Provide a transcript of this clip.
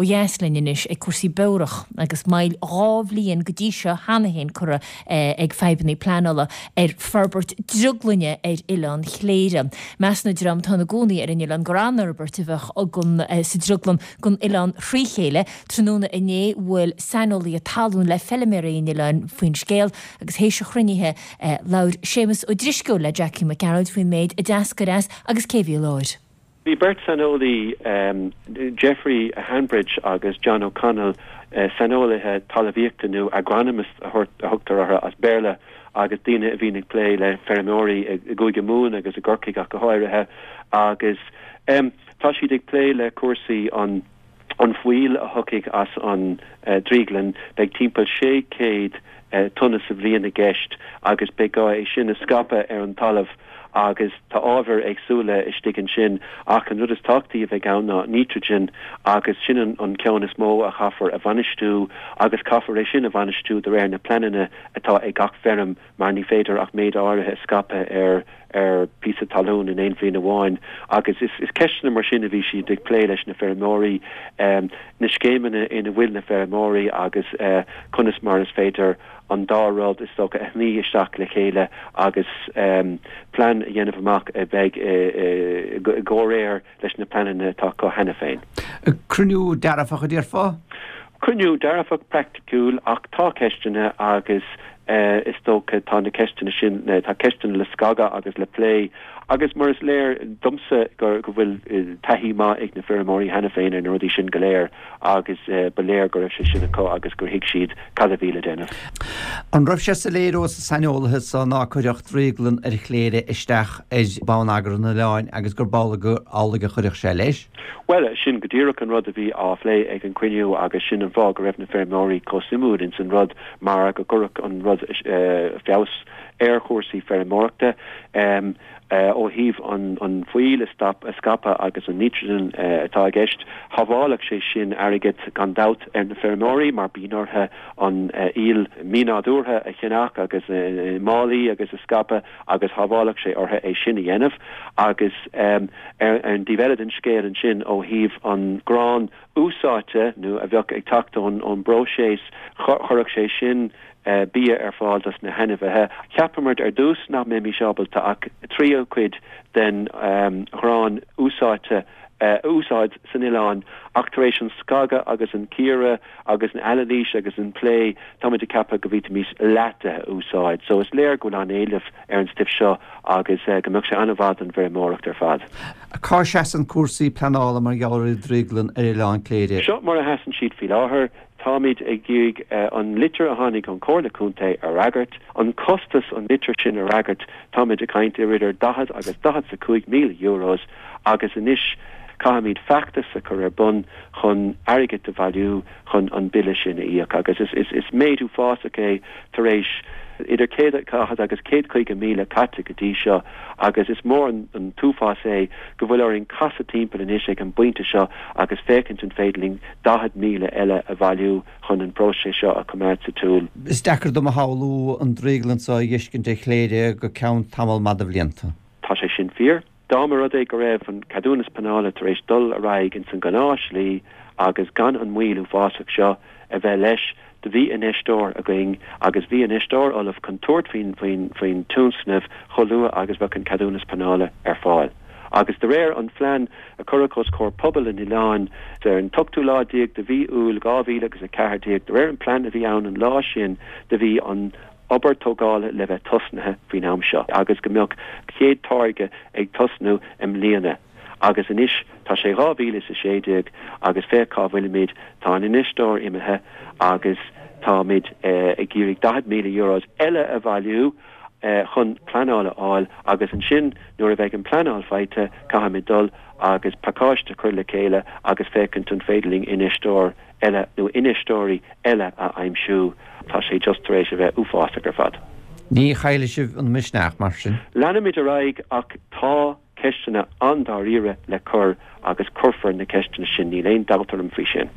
Ó dheas linn anois ag cúrsaí beorach agus moill 2 bhliain go dtí seo cheana féin curtha ag fadhbanna pleanála ar forbairt drioglainne ar Oileán Chléire. Measann an dream atá ina gcónaí ar an oileán gur an-fhorbairt a bheadh sa drioglann don oileán thrí chéile. Tráthnóna inné bhuail saineolaithe talún le feiliméaraí an oileáin faoin scéal agus théis an chruinnithe labhair Séamus Ó Drisceoil le Jackie Mac Gearailt faoin méid a d'eascair as agus cé a bhí i láthair. Bhí beirt saineolaí, Geoffrey Hanbridge agus John O'Connell, saineolaithe talmhaíochta nó agronomists a thugtar orthu as Béarla, agus daoine a bhíonn ag plé le feirmeoirí i gCúige Mumhan agus i gCorcaigh ach go háirithe, agus tá siad ag plé le cúrsaí an. an fuíoll a thiocfaidh as an drioglann, beidh timpeall 600 tonna sa bhliain i gceist agus beidh gá é sin a scaipeadh ar an talamh agus tá ábhair éagsúla istigh ansin ach an rud is tábhachtaí a bheidh ann ná nítrigin agus sin an ceann is mó a chaithfear a bhainistiú agus caithfear é sin a bhainistiú de réir na pleananna atá ag gach feirm mar ní féidir ach méid áirithe a scaipeadh ar ar phíosa talún in aon bhliain amháin agus is is ceisteanna mar sin a bhí siad ag plé leis na feirmeoirí, na scéimeanna ina bhfuil na feirmeoirí agus conas mar is féidir an dá rud is dócha a shnoí isteach le chéile agus plean a dhéanamh amach a bheidh i gcomhréir leis na pleananna atá acu cheana féin. Cruinniú dearfach, a déarfá? Cruinniú dearfach praiticiúil ach tá ceisteanna agus is dócha tá na ceisteanna sin, tá ceisteanna le scagadh agus le plé agus mar is léir domsa go bhfuil taithí maith ag na feirmeoirí cheana féin ar na rudaí sin go léir agus ba léir go raibh sé sin acu agus gur thuig siad cad a bhí le déanamh. An raibh sé soiléir ós na saineolaithe so ná cuirfeadh drioglann ar Chléire isteach ar bhonneagar an oileáin agus gurb amhlaidh a chuirfeadh sé leis? Bhuel, sin go díreach an rud a bhí á phlé ag an cruinniú agus sin an fáth go raibh na feirmeoirí chomh suimiúil ins an rud mar go gcuirfeadh an rud feabhas ar chúrsaí feirmeoireachta ó thaobh an fuíoll a scaipeadh agus an nitrogen atá i gceist. Shábhálfadh sé sin airgead gan dabht ar na feirmeoirí mar bíonn orthu an fhuíoll mínádúrtha a cheannach agus i málaí agus a scaipeadh agus shábhálfadh sé orthu é sin a dhéanamh agus ar an dtaobh eile den scéal ansin ó thaobh an grán úsáidte nó a bheadh ag teacht ón bpróiseas chuirfeadh sé sin bia ar fáil dos na hainmhithe. Cheapamar ar dtús nach mbeimis ábalta ach tríú cuid den ghrán úsáidte a úsáid san oileán ach tar éis an scagadh agus an cíoradh agus an anailís agus an plé, táimid ag ceapadh go bhféadfaimis leath de a úsáid. So is léir go bhfuil an-éileamh ar an stuif seo agus go mbeadh sé an-mhaith don bhfeirmeoireacht ar fad. Cá seasann cúrsaí pleanála mar gheall ar an drioglann ar Oileán Cléire? Seo mar a sheasann siad faoi láthair. Táimid ag iarraidh an litir a tháinig ón Chomhairle Contae a fhreagairt. An costas an litir sin a fhreagairt, táimid ag caint ar idir 40 agus 45 míle euros agus anois caithfimid feachtas a chur ar bun chun airgead a bhailiú chun an bille sin a íoc agus is méid uafásach é tar éis idir 140 agus 150 míle caite go dtí seo agus is mór an t-uafás é go bhfuil orainn casadh timpeall anois ag an bpointe seo agus féachaint an féidir linn 40,000 eile a bhailiú chun an próiseas seo a choimeád sa tsiúl. Is deacair dom a shamhlú an drioglann seo a dh'fheiscint ar Chléire go ceann tamall maith de bhlianta. Tá sé sin fíor. Dá mba rud é go raibh an ceadúnas pleanála tar éis dul ar aghaidh ins an ghnáthshlí agus gan an mhoill uafásach seo a bheith leis, do bhí infheisteoir againn agus bhí infheisteoir ullamh chun tabhairt faoin tionscnamh chomh luath agus bheadh an ceadúnas pleanála ar fáil. Agus de réir an phlean a cuireadh os comhair pobal an oileáin ar an t-ochtú lá déag de mhí Iúil 2014, de réir an plean a bhí ann an lá sin, do bhí an obair tógála le bheith tosnaithe faoin am seo agus go mbeadh chéad táirge ag tosnú i mbliana. Agus anois tá sé 2016 agus féach cá bhfuilimid, tá an infheisteoir imithe agus táimid ag iarraidh 40,000 euros eile a bhailiú chun pleanáil a fháil agus ansin nuair a bheidh an pleanáil faighte caithfimid dul agus pacáiste a chur le chéile agus féachaint an féidir linn infheisteoir eile nó infheisteoirí eile a aimsiú. Tá sé just tar éis a bheith uafásach ar fad. Ní chaillfidh sibh an misneach mar sin. Leanfaimid ar aghaidh ach tá ceisteanna an-dáiríre le cur agus cuirfear na ceisteanna sin, níl aon dabht orm faoi sin.